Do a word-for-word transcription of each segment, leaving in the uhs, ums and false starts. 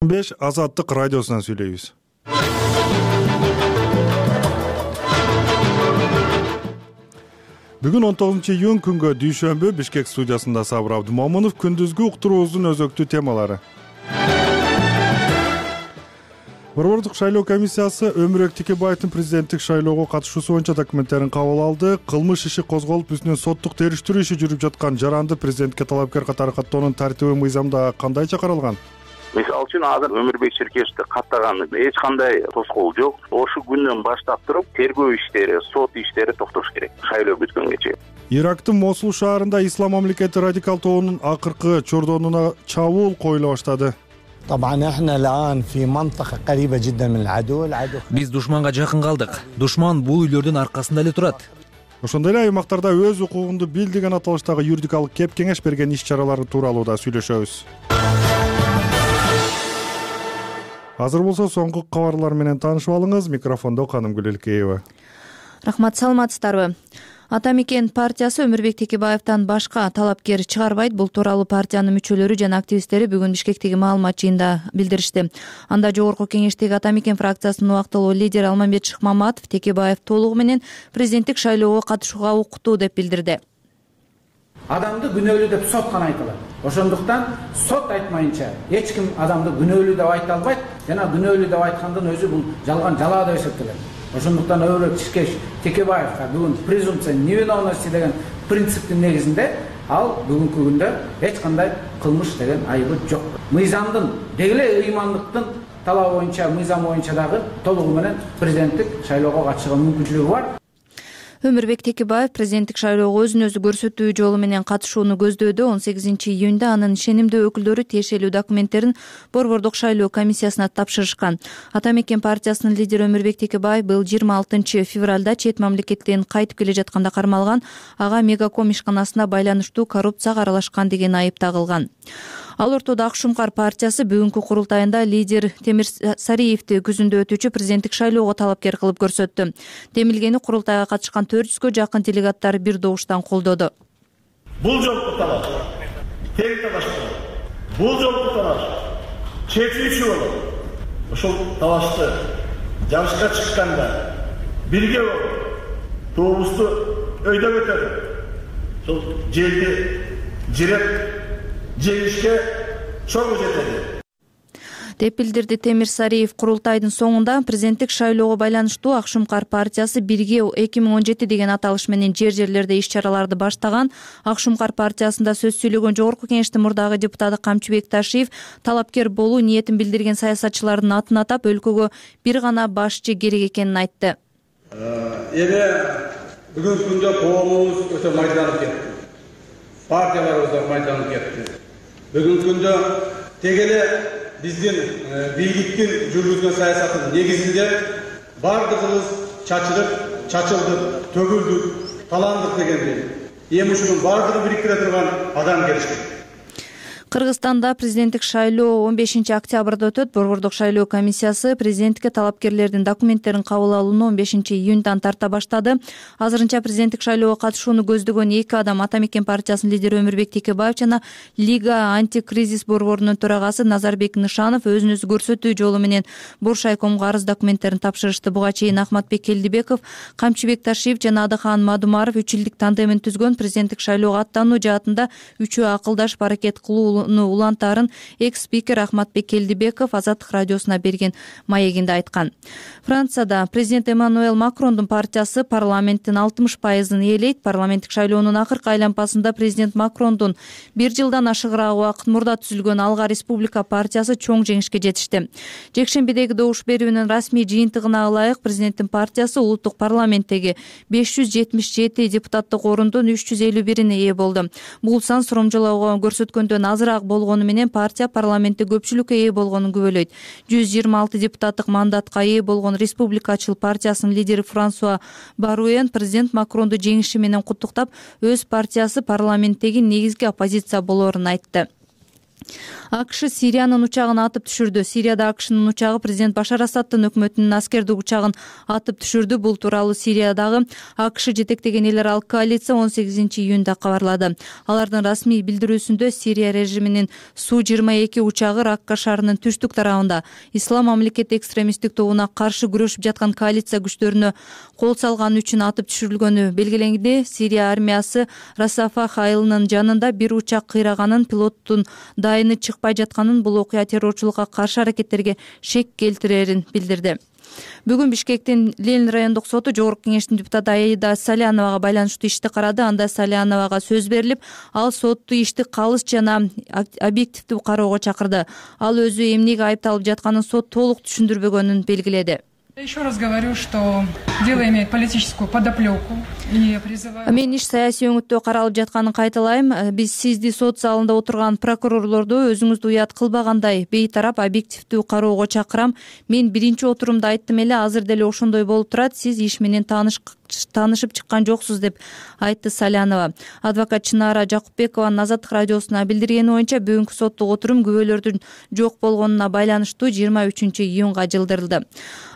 беш Азаттык радиосунан сүйлөйбүз. Бүгүн он тогузунчу июнь күнгө дүйшөмбү Бишкек студиясында Сабыр Абдымомунов күндүзгү уктуруубуздун өзөктүү темалары. Борбордук шайлоо комиссиясы Өмүрбек Текебаевдин президенттик шайлоого катышуусу боюнча документтерин кабыл алды. Кылмыш иши козголуп, үстүнөн соттук териштирүү иши жүрүп жаткан жаранды президентке талапкер катары каттоонун тартиби мыйзамда кандайча каралган? Мисалы үчүн азыр Өмүрбек Ширкешевди каттаган эч кандай тоскоол жок. Ошол күндөн баштап туруп тергөө иштери, сот иштери токтош керек шайлоо бүткөнгө чейин. Ирактын Мосул шаарында Ислам мамлекети радикал тобунун акыркы чордонуна чабуул коюла баштады. Биз душманга жакын калдык. Душман бул үйлөрдүн аркасында эле турат. Ошондой эле аймактарда өз укугунду бил деген аталыштагы юридикалык кеп кеңеш берген иш чаралары тууралуу да сүйлөшөбүз. Азыр болсо соңку кабарлар менен таанышып алыңыз. Микрофондо Канымгүл Элкеева. Рахмат, саламатсыздарбы? Ата Мекен партиясы Өмүрбек Текебаевден башка талапкер чыгарбайт. Бул тууралуу партиянын мүчөлөрү жана активисттери бүгүн Бишкектеги маалымат жыйынында билдиришти. Анда жогорку кеңештеги Ата Мекен фракциясынын убактылуу лидери Алмамбет Шыкмаматов Текебаев толугу менен президенттик шайлоого катышууга укуктуу деп билдирди. Адамды күнөөлүү деп сот гана айта алат. Ошондуктан сот айтмайынча эч ким адамды күнөөлүү деп айта албайт жана күнөөлүү деп айткандын өзү бул жалган жалаа деп эсептелет. Ошондуктан Өмүрбек Ширкеш Текебаевга бүгүн презумпция невиновности деген принциптин негизинде ал бүгүнкү күндө эч кандай кылмыш деген айыбы жок. Мыйзамдын дегеле ыймандыктын талабы боюнча, мыйзам боюнча дагы толугу менен президенттик шайлоого катышууга мүмкүнчүлүгү бар. Өмүрбек Текебаев президенттик шайлоого өзүн өзү көрсөтүү жолу менен катышууну көздөөдө. он сегизинчи июнда анын ишенимдүү өкүлдөрү тиешелүү документтерин Борбордук шайлоо комиссиясына тапшырышкан. Ата Мекен партиясынын лидери Өмүрбек Текебаев быйыл жыйырма алтынчы февралда чет мамлекеттен кайтып келе жатканда кармалган. Ага Мегаком ишканасына байланыштуу коррупцияга аралашкан деген айып тагылган. Ал ортодо Акшумкар партиясы бүгүнкү курултайында лидер Темир Сариевди күзүндө өтүүчү президенттик шайлоого талапкер кылып көрсөттү. Демилгени курултайга катышкан төрт жүзгө жакын делегаттар бир добуштан колдоду. Бул жолку талаш тең талаш болот. Бул жолку талаш чечүүчү болот. Ошол талашты жарышка чыкканда бирге болуп, тобусту өйдөп өтөлүп, ошол жерди жиреп жеңишке чоң жетеди деп билдирди Темир Сариев. Курултайдын соңунда президенттик шайлоого байланыштуу Акшумкар партиясы бирге эки миң он жети деген аталыш менен жер жерлерде иш чараларды баштаган. Акшумкар партиясында сөз сүйлөгөн жогорку кеңештин мурдагы депутаты Камчыбек Ташиев талапкер болуу ниетин билдирген саясатчылардын атын атап, өлкөгө бир гана башчы керек экенин айтты. Эми бүгүнкү күндө коомубуз өтө майданып кетти. Партияларыбыз да майданып кетти. Бүгүнкү күндө тегеле биздин бийликтин жүргүзгөн саясаттын негизинде бардыгыбыз чачырып, чачылдык, төгүлдүк, таландык дегендей. Эми ушунун бардыгын бириктире турган адам керек. Кыргызстанда президенттик шайлоо он бешинчи октябрда өтөт. Борбордук шайлоо комиссиясы президентке талапкерлердин документтерин кабыл алууну он бешинчи июндан тарта баштады. Азырынча президенттик шайлоого катышууну көздөгөн эки адам Ата Мекен партиясынын лидери Өмүрбек Текебаев жана Лига антикризис борборунун төрагасы Назарбек Нышанов өзүн өзү көрсөтүү жолу менен Буршайкомго арыз документтерин тапшырышты. Буга чейин Ахматбек Келдибеков, Камчыбек Ташиев жана Адыхан Мадумаров үч жылдык тандемин түзгөн. Президенттик шайлоого аттануу жаатында үчөө акылдашып аракет кылуу улантарын экс-спикер Ахматбек Келдибеков Азаттык радиосуна берген маегинде айткан. Францияда президент Эммануэл Макрондун партиясы парламенттин алтымыш пайызын ээлейт. Парламенттик шайлоонун акыркы айланпасында президент Макрондун бир жылдан ашыгыраак убакыт мурда түзүлгөн Алга Республика партиясы чоң жеңишке жетишти. Жекшембидеги добуш берүүнүн расмий жыйынтыгына ылайык президенттин партиясы улуттук парламенттеги беш жүз жетимиш жети депутаттык орундун үч жүз элүү бирине ээ болду. Бул сан суромжолоого көрсөткөндөн азыраак болгону менен партия парламентте көпчүлүккө ээ болгонун күбөлөйт. жүз жыйырма алты депутаттык мандатка ээ болгон Республикачыл партиясынын лидери Франсуа Баруэн президент Макронду жеңиши менен куттуктап, өз партиясы парламенттеги негизги оппозиция болоорун айтты. АКШ Сириянын учагын атып түшүрдү. Сирияда АКШнын учагы президент Башар Асаддын өкмөтүнүн аскердик учагын атып түшүрдү. Бул тууралуу Сириядагы АКШ жетектеген эл аралык коалиция он сегизинчи июнда кабарлады. Алардын расмий билдирүүсүндө Сирия режиминин Су жыйырма эки учагы Ракка шаарынын түштүк тарабында Ислам мамлекети экстремисттик тобуна каршы күрөшүп жаткан коалиция күчтөрүнө кол салганы үчүн атып түшүрүлгөнү белгиленди. Сирия армиясы Расафах айылынын жанында бир учак кыйраганын, пилоттун дайыны чыкпай жатканын, бул окуя террорчулукка каршы аракеттерге шек келтирерин билдирди. Бүгүн Бишкектин Ленин райондук соту Жогорку кеңештин депутаты Аида Саляновага байланыштуу ишти карады. Анда Саляновага сөз берилип, ал соту ишти калыс жана объективдүү кароого чакырды. Ал өзү эмнеге айыпталып жатканын сот толук түшүндүрбөгөнүн белгиледи. Еще раз говорю, что дело имеет политическую подоплеку и призываю... Мен иш саясий өңүттө каралып жатканын кайталайм. Биз сизди сот залында отурган прокурорлорду өзүңүздү уят кылбагандай бейтарап объективдүү кароого чакырам. Мен биринчи отурумда айттым эле, азыр деле ошондой болуп турат. Сиз иш менен тааныш таанышып чыккан жоксуз деп айтты Салянова. Адвокат Чынара Жакупбекованын Азаттык радиосуна билдиргени боюнча бүгүнкү соттук отурум күбөлөрдүн жок болгонуна байланыштуу жыйырма үчүнчү июнга жылдырылды.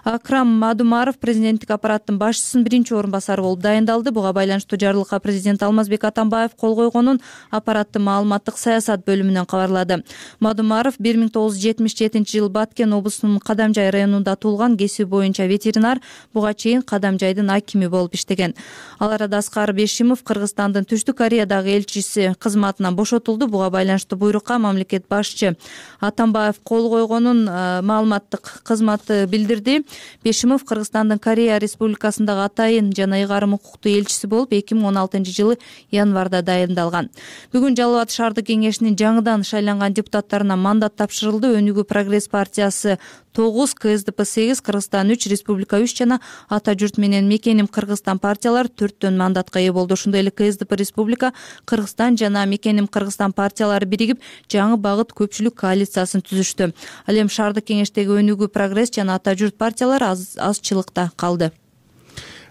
Акрам Мадумаров президенттик аппараттын башчысынын биринчи орун басары болуп дайындалды. Буга байланыштуу жарлыкка президент Алмазбек Атамбаев кол койгонун аппараттын маалыматтык саясат бөлүмүнөн кабарлады. Мадумаров бир миң тогуз жүз жетимиш жетинчи жылы Баткен облусунун Кадамжай районунда туулган, кесиби боюнча ветеринар, буга чейин Кадамжайдын акими болуп иштеген. Ал арада Аскар Бешимов Кыргызстандын Түштүк Кореядагы элчиси кызматынан бошотулду. Буга байланыштуу буйрукка мамлекет башчы Атамбаев кол койгонун маалыматтык кызматы билдирди. Бешимов Кыргызстандын Корея Республикасындагы атайын жана ыйгарым укуктуу элчиси болуп эки миң он алтынчы жылы январда дайындалган. Бүгүн Жалал Абад шаардык кеңешинин жаңыдан шайланган депутаттарына мандат тапшырылды. Өнүгүү прогресс партиясы тогуз, КСДП сегиз, Кыргызстан үч, Республика үч жана Ата журт менен Мекеним Кыргызстан партиялары төрттөн мандатка ээ болду. Ошондой эле КСДП Республика, Кыргызстан жана Мекеним Кыргызстан партиялары биригип жаңы багыт көпчүлүк коалициясын түзүштү. Ал эми шаардык кеңештеги Өнүгүү прогресс жана Ата журт партиялары аз азчылыкта калды.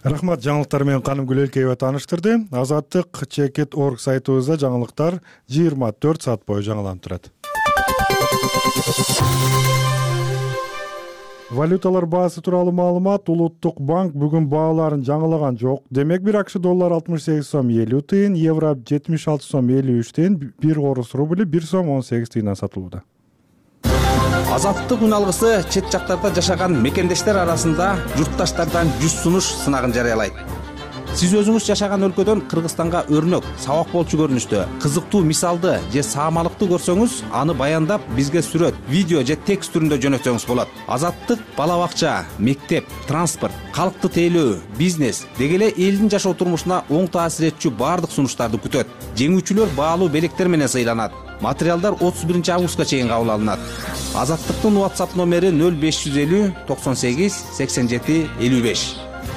Рахмат, жаңылыктар менен Каным Гүлөлкеева тааныштырды. Азаттык чекит точка орг сайтыбызда жаңылыктар жыйырма төрт саат бою жаңыланып турат. Валюталар баасы тууралуу маалымат. Улуттук банк бүгүн бааларын жаңылаган жок. Демек бир акш доллар алтымыш сегиз сом элүү тыйын, евро жетимиш алты сом элүү үч тыйын, бир орус рубли бир сом он сегиз тыйындан сатылууда. Азаттык үн алгысы чет жактарда жашаган мекендештер арасында журтташтардан жүз сунуш сынагын жарыялайт. Сиз өзүңүз жашаган өлкөдөн Кыргызстанга өрнөк, сабак болчу көрүнүштө кызыктуу мисалды же саамалыкты көрсөңүз, аны баяндап бизге сүрөт, видео же текст түрүндө жөнөтсөңүз болот. Азаттык бала бакча, мектеп, транспорт, калкты тейлөө, бизнес деги эле элдин жашоо турмушуна оң таасир этчү баардык сунуштарды күтөт. Жеңүүчүлөр баалуу белектер менен сыйланат. Материалдар отуз биринчи августка чейин кабыл алынат. Азаттыктын WhatsApp номери нөл беш жүз элүү токсон сегиз сексен жети элүү беш.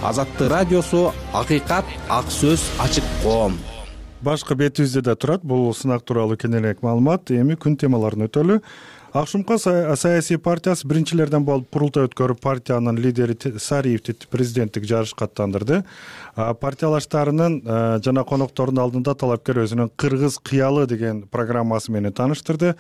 Азаттык радиосу, акыйкат, ак сөз, ачык коом. Башкы бетибизде да турат бул сынак тууралуу кененирээк маалымат. Эми күн темаларын өтөлү. Акшумка саясий партиясы биринчилерден болуп курултай өткөрүп, партиянын лидери Сариевди президенттик жарышка аттандырды. Партиялаштарынын жана коноктордун алдында талапкер өзүнүн Кыргыз кыялы деген программасы менен тааныштырды.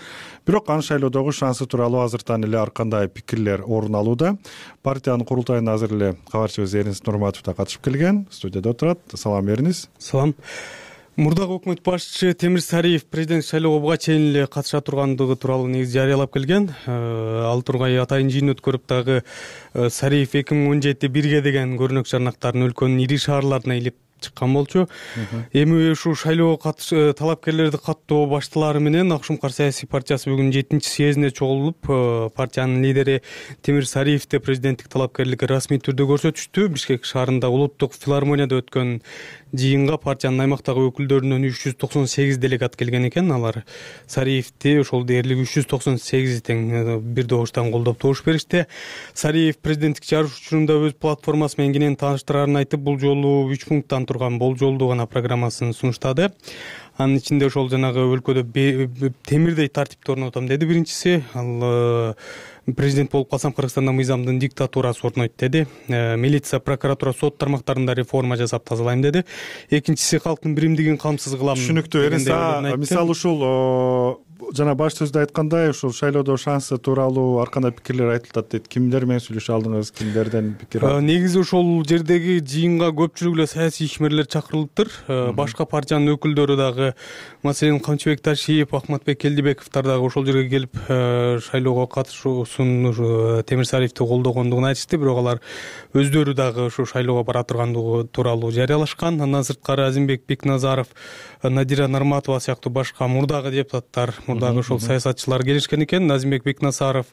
Бирок анын шайлоодогу шансы тууралуу азыртан эле ар кандай пикирлер орун алууда. Партиянын курултайына азыр эле кабарчыбыз Эринис Нурматов да катышып келген. Студияда отурат. Салам Эринис. Салам. Мурдагы өкмөт башчысы Темир Сариев президент шайлоого буга чейин эле катыша тургандыгы тууралуу негизи жарыялап келген. Ал тургай атайын жыйын өткөрүп дагы Сариев эки миң он жети бирге деген көрүнөк жарнактарын өлкөнүн ири шаарларына илип чыккан болчу. Эми ушул шайлоого катыш талапкерлерди каттоо башталары менен Акшумкар саясий партиясы бүгүн жетинчи съездине чогулуп, партиянын лидери Темир Сариевди президенттик талапкерликке расмий түрдө көрсөтүштү. Бишкек шаарында улуттук филармонияда өткөн жыйынга партиянын аймактагы өкүлдөрүнөн үч жүз токсон сегиз делегат келген экен. Алар Сариевди ошол дээрлик үч жүз токсон сегиз тең бир добуштан колдоп добуш беришти. Сариев президенттик жарыш учурунда өз платформасы менен кенен тааныштырарын айтып, бул жолу үч пункттан турган болжолдуу гана программасын сунуштады. Анын ичинде ошол жанагы өлкөдө темирдей тартипти орнотом деди биринчиси. Ал президент болуп калсам Кыргызстанда мыйзамдын диктатурасы орнойт деди. Милиция, прокуратура, сот тармактарында реформа жасап тазалайм деди. Экинчиси калктын биримдигин камсыз кылам. Түшүнүктүү. Эринис, мисалы ушул жана баш сөздө айткандай ушул шайлоодо шансы тууралуу ар кандай пикирлер айтылат дейт. Кимдер менен сүйлөшө алдыңыз, кимдерден пикир алдыңыз? Негизи ошол жердеги жыйынга көпчүлүк эле саясий ишмерлер чакырылыптыр. Башка партиянын өкүлдөрү дагы, маселен Камчыбек Ташиев, Ахматбек Келдибековдор дагы ошол жерге келип шайлоого катышуусун Темир Сариевди колдогондугун айтышты. Бирок алар өздөрү дагы ошо шайлоого бара тургандыгы тууралуу жарыялашкан. Андан сырткары Азимбек Бекназаров, Надира Нарматова сыяктуу башка мурдагы депутаттар, мурдагы ошол саясатчылар келишкен экен. Азимбек Бекназаров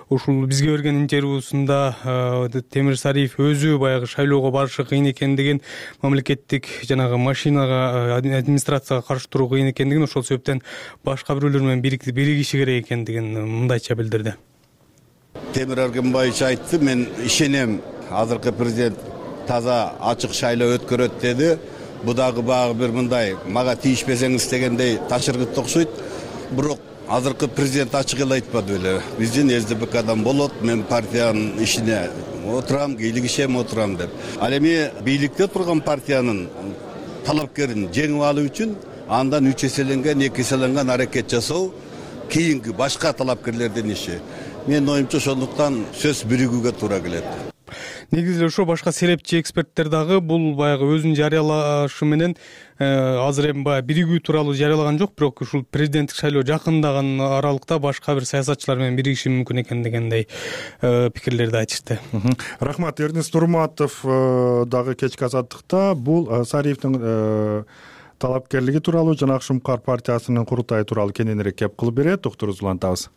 ушул бизге берген интервьюсунда Темир Сариев өзү баягы шайлоого барышы кыйын экендигин, мамлекеттик жанагы машинага, администрацияга каршы туруу кыйын экендигин, ошол себептен башка бирөөлөр менен биригиши керек экендигин мындайча билдирди. Темир Эргенбаевич айтты, мен ишенем, азыркы президент таза ачык шайлоо өткөрөт деди. Бу дагы багы бир мындай мага тийишпесеңиз дегендей ташыргыт окшойт. Бирок азыркы президент ачык эле айтпады беле. Биздин СДПКдан болот, мен партиянын ишине отурам, кийлигишем отурам деп. Ал эми бийликте турган партиянын талапкерин жеңип алуу үчүн андан үч эселенген, эки эселенген аракет жасоо кийинки башка талапкерлердин иши. Менин оюмча ошондуктан сөз биригүүгө туура келет. Негизи ошо башка серепчи эксперттер дагы бул баягы өзүн жарыялашы менен азыр эми баягы биригүү тууралуу жарыялаган жок, бирок ушул президенттик шайлоо жакындаган аралыкта башка бир саясатчылар менен биригиши мүмкүн экен дегендей пикирлерди айтышты. Рахмат. Эрнест Нурматов дагы кечки азаттыкта бул Сариевдин талапкерлиги тууралуу жана Ак Шумкар партиясынын курултайы тууралуу кененирээк кеп кылып берет. Доктурубуз улантабыз.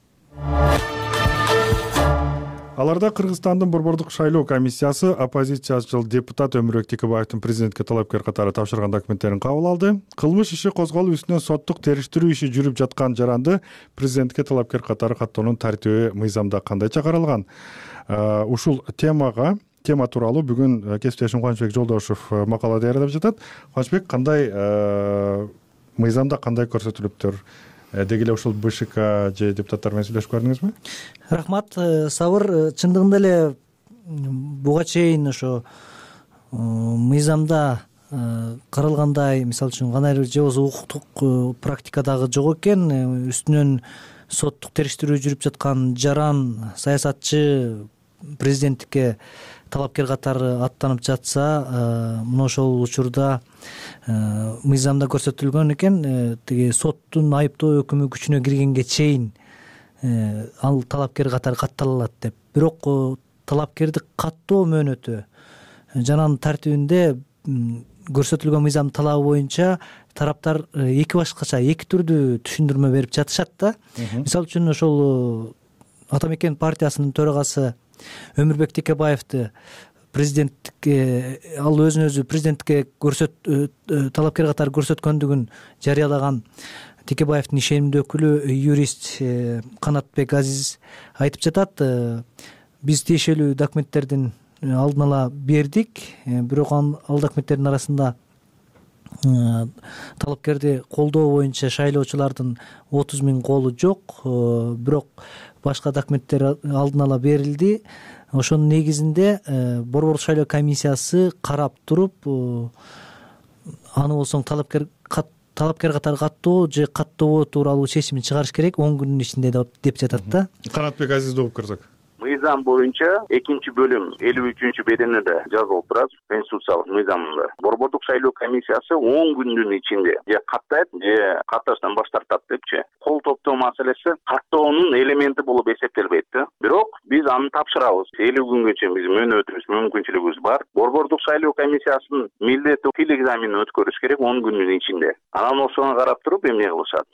Аларда Кыргызстандын Борбордук шайлоо комиссиясы оппозициячыл депутат Өмүрбек Текебаевдин президентке талапкер катары тапшырган документтерин кабыл алды. Кылмыш иши козголуп, үстүнөн соттук териштирүү иши жүрүп жаткан жаранды президентке талапкер катары каттоонун тартиби мыйзамда кандайча каралган? Ушул темага тема тууралуу бүгүн кесиптешим Кубанычбек Жолдошев макала даярдап жатат. Кубанычбек, кандай мыйзамда кандай көрсөтүлүптүр? Деги эле ушул БШК же депутаттар менен сүйлөшүп көрдүңүзбү? Рахмат. Сабыр, чындыгында эле буга чейин ошо мыйзамда каралгандай, мисалы үчүн кандайдыр же болбосо укуктук практикадагы жок экен. Үстүнөн соттук териштирүү жүрүп жаткан жаран саясатчы президенттикке талапкер катары аттанып жатса, мына ошол учурда мыйзамда көрсөтүлгөн экен, тиги соттун айыптоо өкүмү күчүнө киргенге чейин ал талапкер катары катталат деп. Бирок талапкерди каттоо мөөнөтү жананын тартибинде көрсөтүлгөн мыйзам талабы боюнча тараптар эки башкача, эки түрдүү түшүндүрмө берип жатышат да. Мисалы үчүн ошол Атамекен партиясынын төрагасы Өмүрбек Текебаевди президенттикке, ал өзүн өзү президенттикке көрсөт талапкер катары көрсөткөндүгүн жарыялаган Текебаевдин ишенимдүү өкүлү юрист Канатбек Азиз айтып жатат. Биз тиешелүү документтердин алдын ала бердик, бирок ал документтердин арасында талапкерди колдоо боюнча шайлоочулардын отуз миң колу жок, бирок башка документтер алдын ала берилди. Ошонун негизинде Борбордук шайлоо комиссиясы карап туруп, аны болсоң талапкер талапкер катары каттоо же каттообоо тууралуу чечимин чыгарыш керек он күнүн ичинде деп жатат да. Канатбек Азизди угуп көрсөк. Мыйзам боюнча экинчи бөлүм элүү үчүнчү беденеде жазылып турат, конституциялык мыйзамында. Борбордук шайлоо комиссиясы он күндүн ичинде же каттайт, же катташтан баш тартат депчи. Кол топтоо маселеси каттоонун элементи болуп эсептелбейт да. Бирок биз аны тапшырабыз. элүү күнгө чейин биз мөөнөтүбүз, мүмкүнчүлүгүбүз бар. Борбордук шайлоо комиссиясынын милдети тил экзаменин өткөрүш керек он күндүн ичинде. Анан ошону карап туруп эмне кылышат?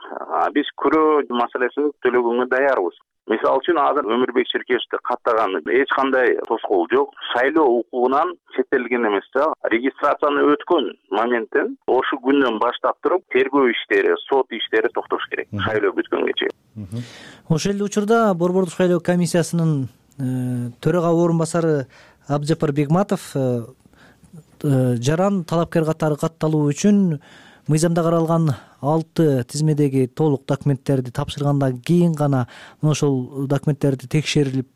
Биз күрөө маселесин төлөгөнгө даярбыз. Мисалы үчүн азыр Өмүрбек Ширкешевди каттаган эч кандай тоскоол жок. Шайлоо укугунан четтелген эмес да. Регистрацияны өткөн моменттен ошо күндөн баштап туруп тергөө иштери, сот иштери токтош керек. Шайлоо бүткөнгө чейин. Ошол эле учурда Борбордук шайлоо комиссиясынын төрага орун басары Абджапар Бегматов жаран талапкер катары катталуу үчүн мыйзамда каралган алты тизмедеги толук документтерди тапшыргандан кийин гана ошол документтерди текшерилип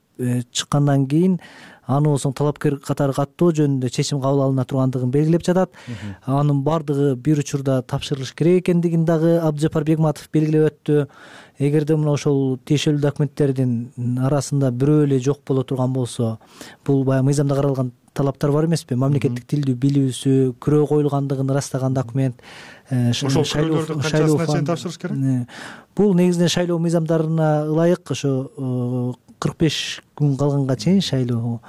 чыккандан кийин аны болсо талапкер катары каттоо жөнүндө чечим кабыл алына тургандыгын белгилеп жатат. Анын бардыгы бир учурда тапшырылыш керек экендигин дагы Абдыжапар Бегматов белгилеп өттү. Эгерде мына ошол тиешелүү документтердин арасында бирөө эле жок боло турган болсо, бул баягы мыйзамда каралган талаптар бар эмеспи? Мамлекеттик тилди билүүсү, күрөө коюлгандыгын ырастаган документ. Ошол күрөөлөрдү канчасына чейин тапшырыш керек? Бул негизинен шайлоо мыйзамдарына ылайык ошо кырк беш күн калганга чейин шайлоо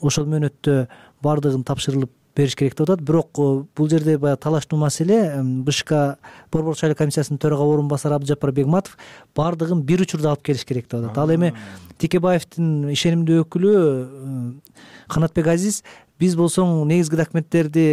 ошол мөөнөттө бардыгын тапшырылып бериш керек деп атат. Бирок бул жерде баягы талаштуу маселе БШК Борбордук шайлоо комиссиясынын төрага орун басары Абдыжапар Бегматов бардыгын бир учурда алып келиш керек деп атат. Ал эми Текебаевдин ишенимдүү өкүлү Канатбек Азиз биз болсоң негизги документтерди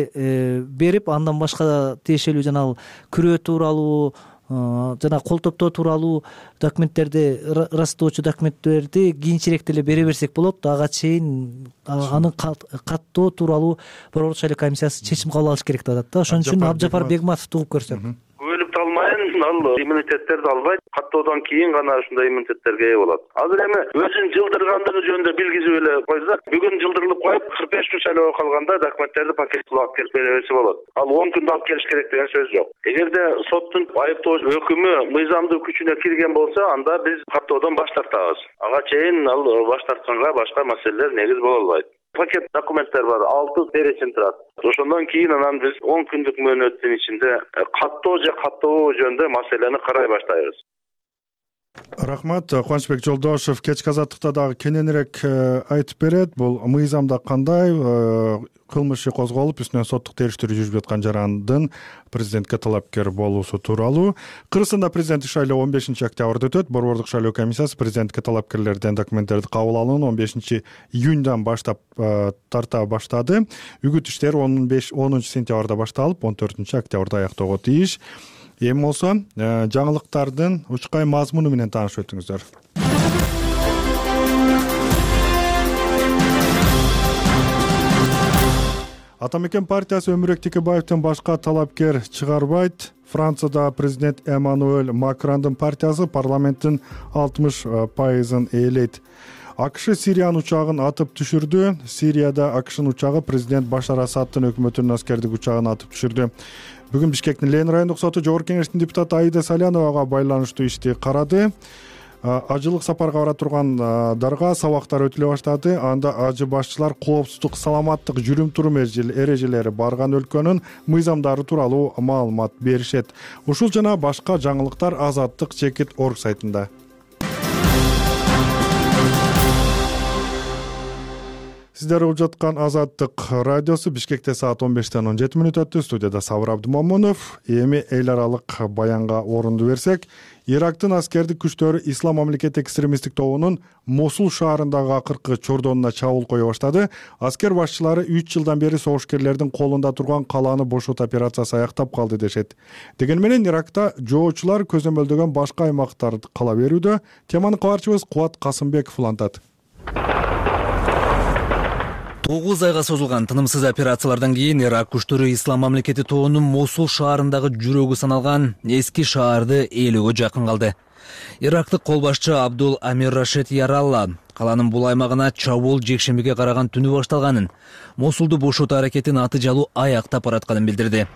берип, андан башка тиешелүү жана күрөө тууралуу жана кол топтоо тууралуу документтерди, ырастоочу документтерди кийинчерээк деле бере берсек болот. Ага чейин аны каттоо тууралуу Борбордук шайлоо комиссиясы чечим кабыл алыш керек деп атат да. Ошон үчүн Абдыжапар Бегматовду угуп көрсөк. Өлүп талмайын, ал иммунитеттерди албайт, каттоодон кийин гана ушундай иммунитеттерге ээ болот. Азыр эми өзүн жылдыргандыгы жөнүндө билгизип эле койсак, бүгүн жылдырылып коюп, кырк беш күн шайлоого калганда документтерди пакеттеп алып келип бере берсе болот. Ал он күндө алып келиш керек деген сөз жок. Эгерде соттун айыптоо өкүмү мыйзамдуу күчүнө кирген болсо, анда биз каттоодон баш тартабыз. Ага чейин ал баш тартканга башка маселелер негиз боло албайт. Пакет документтер бар, алты перечень турат. Ошондон кийин анан биз он күндүк мөөнөттүн ичинде каттоо же каттообоо жөнүндө маселени карай баштайбыз. Рахмат. Кубанычбек Жолдошев кечки азаттыкта дагы кененирээк айтып берет. Бул мыйзамда кандай кылмыш иши козголуп, үстүнөн соттук териштирүү жүрүп жаткан жарандын президентке талапкер болуусу тууралуу. Кыргызстанда президенттик шайлоо он бешинчи октябрда өтөт. Борбордук шайлоо комиссиясы президентке талапкерлерден документтерди кабыл алууну он бешинчи июньдан баштап тарта баштады. Үгүт иштери онунчу сентябрда башталып, он төртүнчү октябрда аяктоого тийиш. Эми болсо жаңылыктардын учкай мазмуну менен таанышып өтүңүздөр. Ата мекен партиясы Өмүрөк Текебаевдин башка талапкер чыгарбайт. Францияда президент Эммануэль Макрондун партиясы парламенттин алтымыш пайызын ээлейт. АКШ Сириянын учагын атып түшүрдү. Сирияда АКШнын учагы президент Башар Асаддын өкмөтүнүн аскердик учагын атып түшүрдү. Бүгүн Бишкектин Ленин райондук соту Жогорку Кеңештин депутаты Аида Саляновага байланыштуу ишти карады. Ажылык сапарга бара тургандарга сабактар өтүлө баштады. Анда ажы башчылар коопсуздук, саламаттык, жүрүм-турум эрежелери барган өлкөнүн мыйзамдары тууралуу маалымат беришет. Ушул жана башка жаңылыктар Азаттык чекит орг сайтында. Сиздер угуп жаткан Азаттык радиосу. Бишкекте саат он бештен он жети мүнөт өттү. Студияда Сабыр Абдымомунов. Эми эл аралык баянга орунду берсек, Ирактын аскердик күчтөрү Ислам мамлекети экстремисттик тобунун Мосул шаарындагы акыркы чордонуна чабуул кое баштады. Аскер башчылары үч жылдан бери согушкерлердин колунда турган калааны бошот операциясы аяктап калды дешет. Деген менен Иракта жоочулар көзөмөлдөгөн башка аймактар кала берүүдө. Теманы кабарчыбыз Кубат Касымбеков улантат. тогуз айга созулган тынымсыз операциялардан кийин Ирак күчтөрү Ислам мамлекети тобунун Мосул шаарындагы жүрөгү саналган эски шаарды ээлөөгө жакын калды. Ирактык кол башчы Абдул Амир Рашид Яралла калаанын бул аймагына чабуул жекшембиге караган түнү башталганын, Мосулду бошотуу аракетин аты жалуу аяктап баратканын билдирди.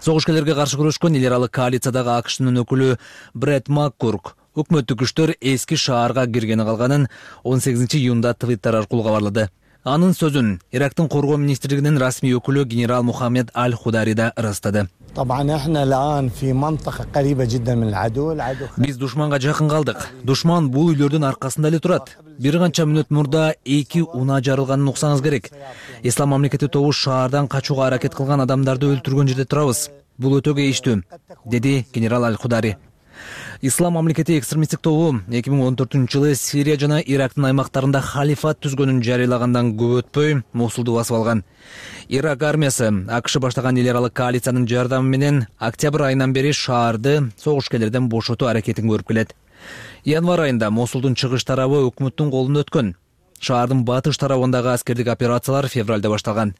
Согушкерлерге каршы күрөшкөн эл аралык коалициядагы АКШнын өкүлү Брэд Маккурк өкмөттүк күчтөр эски шаарга киргени калганын он сегизинчи июнда твиттер аркылуу кабарлады. Анын сөзүн Ирактын коргоо министрлигинин расмий өкүлү генерал Мухаммед Аль-Худари да ырастады. Биз душманга жакын калдык. Душман бул үйлөрдүн аркасында эле турат. Бир канча мүнөт мурда эки унаа жарылганын уксаңыз керек. Ислам мамлекети тобу шаардан качууга аракет кылган адамдарды өлтүргөн жерде турабыз. Бул өтө кейиштүү, деди генерал Аль-Худари. Ислам мамлекети экстремисттик тобу эки миң он төртүнчү жылы Сирия жана Ирактын аймактарында халифат түзгөнүн жарыялагандан көп өтпөй Мосулду басып алган. Ирак армиясы АКШ баштаган эл аралык коалициянын жардамы менен октябрь айынан бери шаарды согушкерлерден бошотуу аракетин көрүп келет. Январь айында Мосулдун чыгыш тарабы өкмөттүн колунда өткөн. Шаардын батыш тарабындагы аскердик операциялар февралда башталган.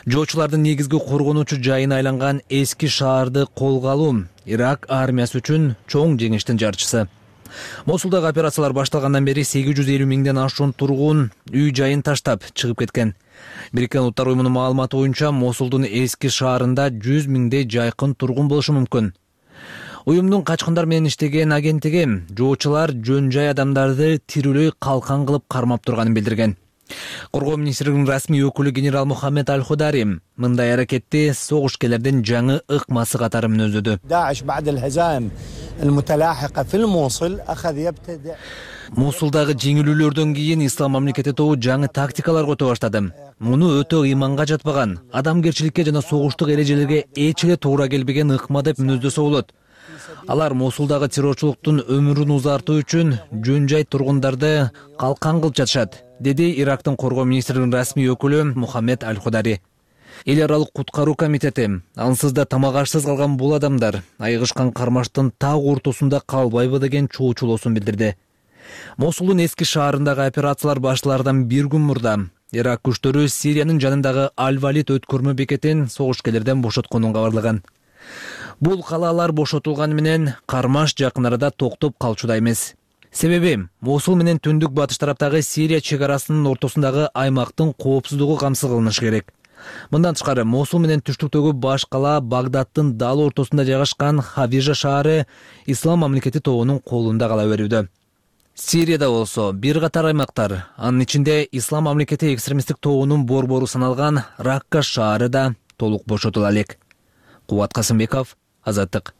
Жоочулардын негизги коргонуучу жайына айланган эски шаарды колго алуу Ирак армиясы үчүн чоң жеңиштин жарчысы. Мосулдагы операциялар башталгандан бери сегиз жүз элүү миңден ашуун тургун үй жайын таштап чыгып кеткен. Бириккен Улуттар уюмунун маалыматы боюнча Мосулдун эски шаарында жүз миңдей жайкын тургун болушу мүмкүн. Уюмдун качкындар менен иштеген агенттиги жоочулар жөн жай адамдарды тирүүлөй калкан кылып кармап турганын билдирген. Коргоо министрлигинин расмий өкүлү генерал Мухаммед Аль-Худари мындай аракетти согушкерлердин жаңы ыкмасы катары мүнөздөдү. Мосулдагы жеңилүүлөрдөн кийин Ислам мамлекети тобу жаңы тактикалар кото баштады. Муну өтө ыйманга жатпаган, адамгерчиликке жана согуштук эрежелерге эч эле туура келбеген ыкма деп мүнөздөсө болот. Алар Мосулдагы террорчулуктун өмүрүн узартуу үчүн жөн жай тургундарды калкан кылып жатышат, деди Ирактын коргоо министринин расмий өкүлү Мухаммед Аль-Худари. Эл аралык куткаруу комитети ансыз да тамак ашсыз калган бул адамдар айгышкан кармаштын так ортосунда калбайбы деген чоочулоосун билдирди. Мосулдун эски шаарындагы операциялар башталардан бир күн мурда Ирак күчтөрү Сириянын жанындагы Аль-Валид өткөрмө бекетин согушкерлерден бошотконун кабарлаган. Бул калаалар бошотулганы менен кармаш жакын арада токтоп калчудай эмес. Себеби Мосул менен түндүк батыш тараптагы Сирия чек арасынын ортосундагы аймактын коопсуздугу камсыз кылынышы керек. Мындан тышкары Мосул менен түштүктөгү баш кала Багдадтын дал ортосунда жайгашкан Хавижа шаары Ислам мамлекети тобунун колунда кала берүүдө. Сирияда болсо бир катар аймактар, анын ичинде Ислам мамлекети экстремисттик тобунун борбору саналган Ракка шаары да толук бошотула элек. Кубат Касымбеков, Азаттык.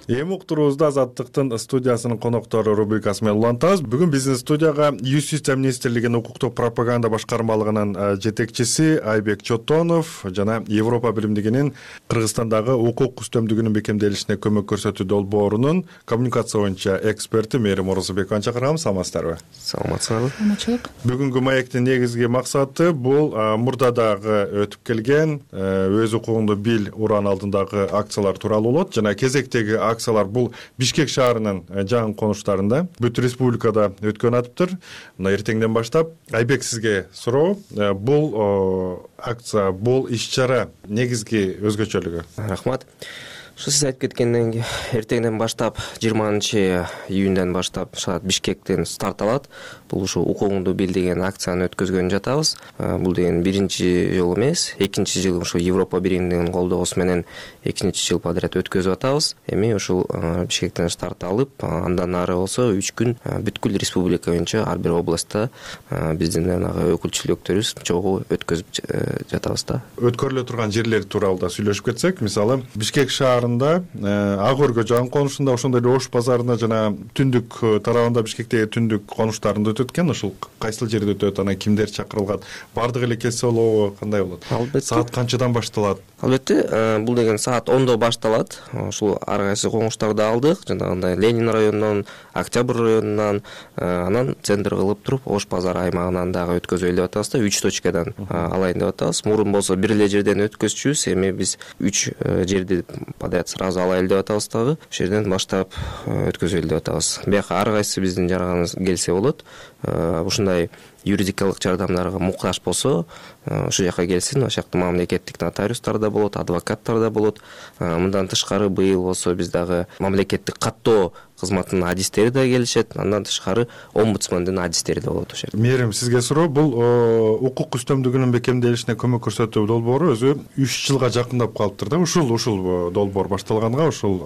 Эми уктуруубузда Азаттыктын студиясынын коноктору рубрикасы менен улантабыз. Бүгүн биздин студияга Юстиция министрлигинин укуктук пропаганда башкармалыгынын жетекчиси Айбек Чотонов жана Европа биримдигинин Кыргызстандагы укук үстөмдүгүнүн бекемделишине көмөк көрсөтүү долбоорунун коммуникация боюнча эксперти Мээрим Орозбековну чакырганбыз. Саламатсыздарбы? Саламатсыздарбы. Саламатчылык. Бүгүнкү маектин негизги максаты бул мурдадагы өтүп келген өз укугуңду бил уран алдындагы акциялар тууралуу болот жана кезектеги акциялар бул Бишкек шаарынын жаңы конуштарында бүт республикада өткөн атыптыр. Мына эртеңден баштап Айбек сизге суроо, бул акция, бул иш-чара негизги өзгөчөлүгү? Рахмат. Ушу сиз айтып кеткенден кийин эртеңден баштап жыйырманчы июндан баштап шаар Бишкектен старт алат. Бул ушу укугуңду бил деген акцияны өткөзгөн жатабыз. Бул деген биринчи жолу эмес, экинчи жыл ушу Европа биримдигинин колдоосу менен экинчи жыл подряд өткөзүп атабыз. Эми ушул Бишкектен старт алып, андан ары болсо үч күн бүткүл республика боюнча ар бир областта биздин өкүлчүлүктөрүбүз чогуу өткөзүп жатабыз да. Өткөрүлө турган жерлер тууралуу да сүйлөшүп кетсек, мисалы Бишкек шаарында Ак өргө жаңы конушунда, ошондой эле Ош базарында жана түндүк тарабында Бишкектеги түндүк конуштарында өтөт экен. Ушул кайсыл жерде өтөт, анан кимдер чакырылган? Бардыгы эле келсе болобу, кандай болот? Албетте. Саат канчадан башталат? Албетте, бул деген саат ондо башталат. Ушул ар кайсы коңуштарды алдык, жанагындай Ленин районунан, Октябрь районунан, анан центр кылып туруп Ош базары аймагынан дагы өткөзөлү деп атабыз да, үч точкадан алайын деп атабыз. Мурун болсо бир эле жерден өткөзчүбүз, эми биз үч жерди подряд сразу алайлы деп атабыз дагы. Ошол жерден баштап өткөзөлү деп атабыз. Бияка ар кайсы биздин жараганыбыз келсе болот. Ушундай юридикалык жардамдарга муктаж болсо, ошол жака келсин. Ошол жакта мамлекеттик нотариустар да болот, адвокаттар да болот. Мындан тышкары быйыл болсо биз дагы мамлекеттик каттоо кызматынын адистери да келишет. Андан тышкары омбудсмендин адистери да болот ошол жерде. Мээрим, сизге суроо, бул укук үстөмдүгүнүн бекемделишине көмөк көрсөтүү долбоору өзү үч жылга жакындап калыптыр да. Ушул ушул долбоор башталганга, ушул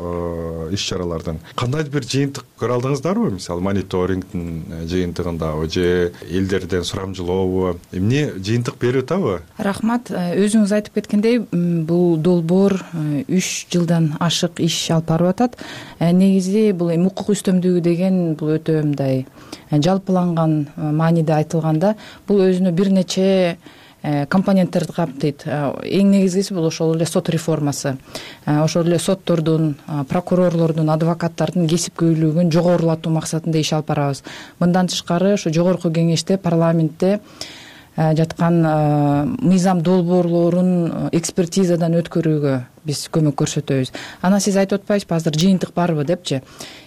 иш-чаралардан кандайдыр бир жыйынтык көрө алдыңыздарбы? Мисалы мониторингдин жыйынтыгындабы же элдерден сурамжылообу? Эмне жыйынтык берип атабы? Рахмат. Өзүңүз айтып кеткендей, бул долбоор үч жылдан ашык иш алып барып атат. Негизи бул укук үстөмдүгү деген бул өтө мындай жалпыланган мааниде айтылганда, бул өзүнө бир нече компоненттерди камтыйт. Эң негизгиси бул ошол эле сот реформасы. Ошол эле соттордун, прокурорлордун, адвокаттардын кесипкөйлүгүн жогорулатуу максатында иш алып барабыз. Мындан тышкары, ошо жогорку кеңеште, парламентте жаткан мыйзам долбоорлорун экспертизадан өткөрүүгө биз көмөк көрсөтөбүз. Анан сиз айтып атпайсызбы азыр жыйынтык барбы депчи?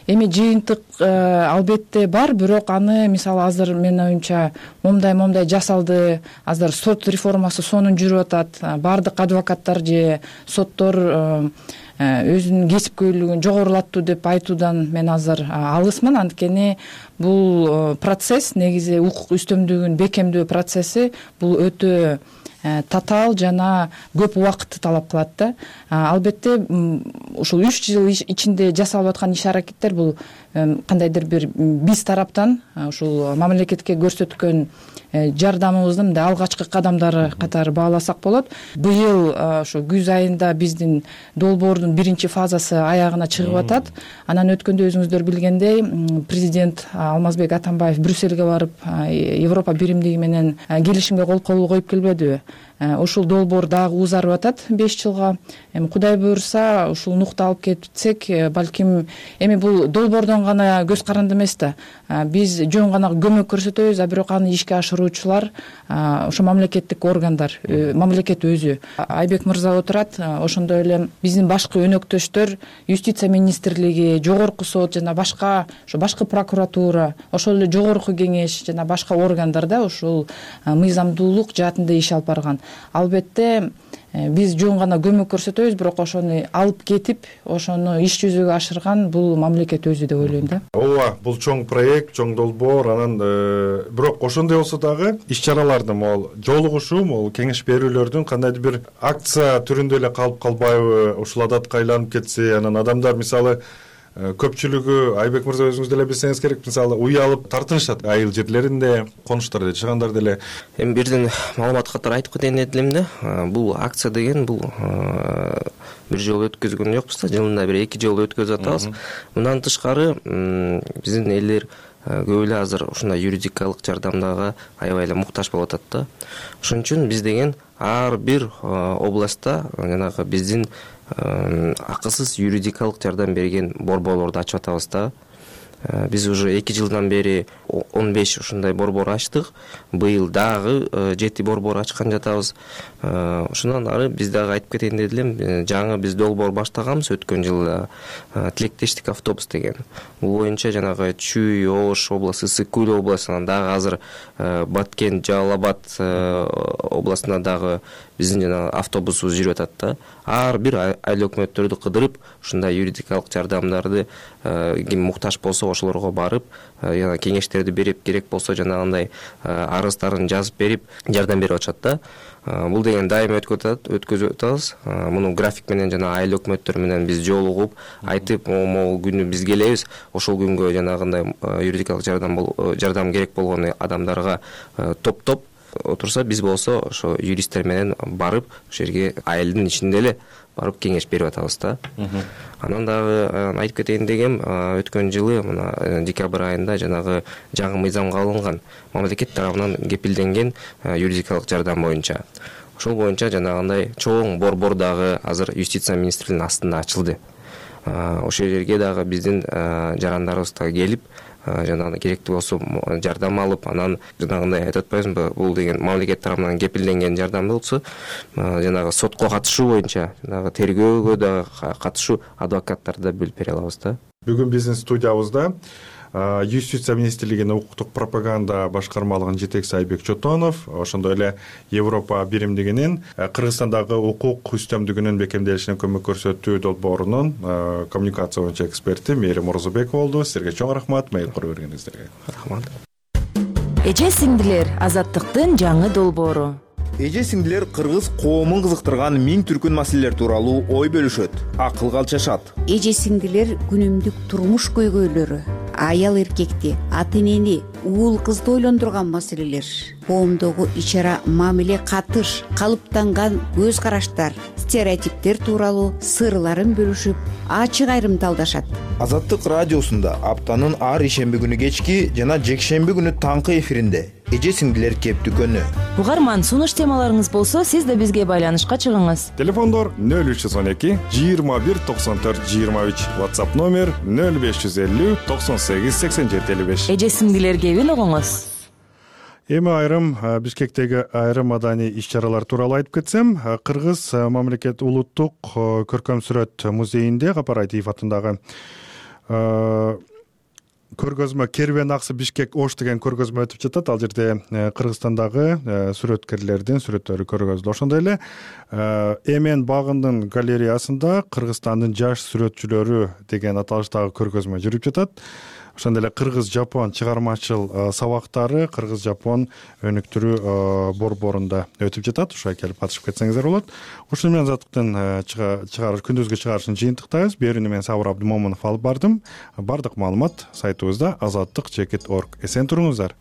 Эми жыйынтык албетте бар, бирок аны мисалы азыр менин оюмча момундай момундай жасалды, азыр сот реформасы сонун жүрүп атат, баардык адвокаттар же соттор өзүнүн кесипкөйлүгүн жогорулаттуу деп айтуудан мен азыр алысмын. Анткени бул процесс негизи укук үстөмдүгүн бекемдөө процесси бул өтө татаал жана көп убакытты талап кылат да. Албетте ушул үч жыл ичинде жасалып аткан иш аракеттер бул кандайдыр бир биз тараптан ушул мамлекетке көрсөткөн жардамыбыздын мындай алгачкы кадамдары катары бааласак болот. Быйыл ошо күз айында биздин долбоордун биринчи фазасы аягына чыгып атат. Анан өткөндө өзүңүздөр билгендей президент Алмазбек Атамбаев Брюссельге барып Европа биримдиги менен келишимге кол коюп келбедиби? Ушул долбоор дагы узарып атат беш жылга. Эми Кудай буюрса ушул нукта алып кетсек, балким эми бул долбоордон гана көз каранды эмес да. Биз жөн гана көмөк көрсөтөбүз, а бирок аны ишке ашыруучулар ошо мамлекеттик органдар, мамлекет өзү. Айбек мырза отурат, ошондой эле биздин башкы өнөктөштөр, юстиция министрлиги, жогорку сот жана башка ошо башкы прокуратура, ошол эле жогорку кеңеш жана башка органдарда ушул мыйзамдуулук жаатында иш алып барган. Албетте биз жөн гана көмөк көрсөтөбүз, бирок ошону алып кетип, ошону иш жүзүгө ашырган бул мамлекет өзү деп ойлойм да. Ооба, бул чоң проект, чоң долбоор, анан бирок ошондой болсо дагы иш-чаралардын могул жолугушуу, могул кеңеш берүүлөрдүн кандайдыр бир акция түрүндө эле калып калбайбы, ушул адатка айланып кетсе, анан адамдар мисалы көпчүлүгү, Айбек мырза өзүңүз деле билсеңиз керек, мисалы уй алып тартынышат айыл жерлеринде, конуштарда жашагандар деле. Эми бирден маалымат катары айтып кетейин дедим да. Бул акция деген бул бир жолу өткөзгөн жокпуз да, жылында бир эки жолу өткөзүп атабыз. Мындан тышкары биздин элдер көп эле азыр ушундай юридикалык жардамдага аябай эле муктаж болуп атат да. Ошон үчүн биз деген ар бир областта жанагы биздин акысыз юридикалык жардам берген борборлорду ачып атабыз да. Биз уже эки жылдан бери он беш ушундай борбор ачтык. Быйыл дагы жети борбор ачкан жатабыз. Ошондон ары биз дагы айтып кетейин дедим, жаңы биз долбоор баштаганбыз өткөн жылда, тилектештик автобус деген. Бул боюнча жанагы Чүй, Ош областы, Ысык Көл областынан дагы азыр Баткен, Жалал Абад областына дагы биздин жана автобусубуз жүрүп атат да. Ар бир айыл өкмөттөрдү кыдырып, ушундай юридикалык жардамдарды ким муктаж болсо ошолорго барып, жана кеңештерди берип, керек болсо жанагындай арыздарын жазып берип, жардам берип атышат да. Бул деген дайым өткөзүп атабыз. Муну график менен жана айыл өкмөттөр менен биз жолугуп, айтып, могул күнү биз келебиз, ошол күнгө жанагындай юридикалык жардам жардам керек болгон адамдарга топтоп отурса, биз болсо ошо юристтер менен барып, ошол жерге айылдын ичинде эле барып кеңеш берип атабыз да. Анан дагы айтып кетейин дегем, өткөн жылы мына декабрь айында жанагы жаңы мыйзамга алынган мамлекет тарабынан кепилденген юридикалык жардам боюнча. Ошол боюнча жанагындай чоң борбор дагы азыр юстиция министрлигинин астында ачылды. Ошол жерге дагы биздин жарандарыбыз дагы келип, жанагындай керектүү болсо жардам алып, анан жанагындай айтып атпайсызбы, бул деген мамлекет тарабынан кепилденген жардам болсо, жанагы сотко катышуу боюнча, жанагы тергөөгө да катышуу адвокаттарды да бөлүп бере алабыз да. Бүгүн биздин студиябызда юстиция министрлигинин укуктук пропаганда башкармалыгынын жетекчиси Айбек Чотонов, ошондой эле Европа биримдигинин Кыргызстандагы укук үстөмдүгүнүн бекемделишине көмөк көрсөтүү долбоорунун коммуникация боюнча эксперти Мээрим Орозобекова болду. Силерге чоң рахмат, мейил куруп бергениңиздерге. Рахмат. Эже сиңдилер, Азаттыктын жаңы долбоору. Эже сиңдилер кыргыз коомун кызыктырган миң түркүн маселелер тууралуу ой бөлүшөт, акылга алчашат. Эже сиңдилер күнүмдүк турмуш көйгөйлөрү, аял эркекти, ата энени, уул кызды ойлондурган маселелер, коомдогу ич-ара мамиле катыш, калыптанган көз караштар, стереотиптер тууралуу сырларын бөлүшүп, ачык айрымдалдашат. Азаттык радиосунда аптанын ар ишемби күнү кечки жана жекшемби күнү таңкы эфиринде эже сиңдилер кептүкөнү. Угарман, сунуш темаларыңыз болсо, сиз да бизге байланышка чыгыңыз. Телефондор нөл үч жүз он эки жыйырма бир токсон төрт жыйырма үч, WhatsApp номер нөл беш жүз элүү токсон сегиз сексен жети элүү беш. Эже сиңдилер кебин угуңуз. Эми айрым Бишкектеги айрым маданий иш-чаралар тууралуу айтып кетсем, Кыргыз мамлекет улуттук көркөм сүрөт музейинде Капар Айтиев атындагы көргөзмө Кервен аксы Бишкек Ош деген көргөзмө өтүп жатат. Ал жерде Кыргызстандагы сүрөткерлердин сүрөттөрү көргөзүлөт. Ошондой эле Эмен багындын галереясында Кыргызстандын жаш сүрөтчүлөрү деген аталыштагы көргөзмө жүрүп жатат. Ошондой эле Кыргыз-Жапон чыгармачыл сабактары Кыргыз-Жапон өнүктүрүү борборунда өтүп жатат. Ошого келип катышып кетсеңиздер болот. Ушуну менен азаттыктын чыгарыш күндүзгү чыгарышын жыйынтыктайбыз. Берүүнү мен Сабыр Абдымомунов алып бардым. Бардык маалымат сайтыбызда азаттык чекит точка орг. Эсен туруңуздар.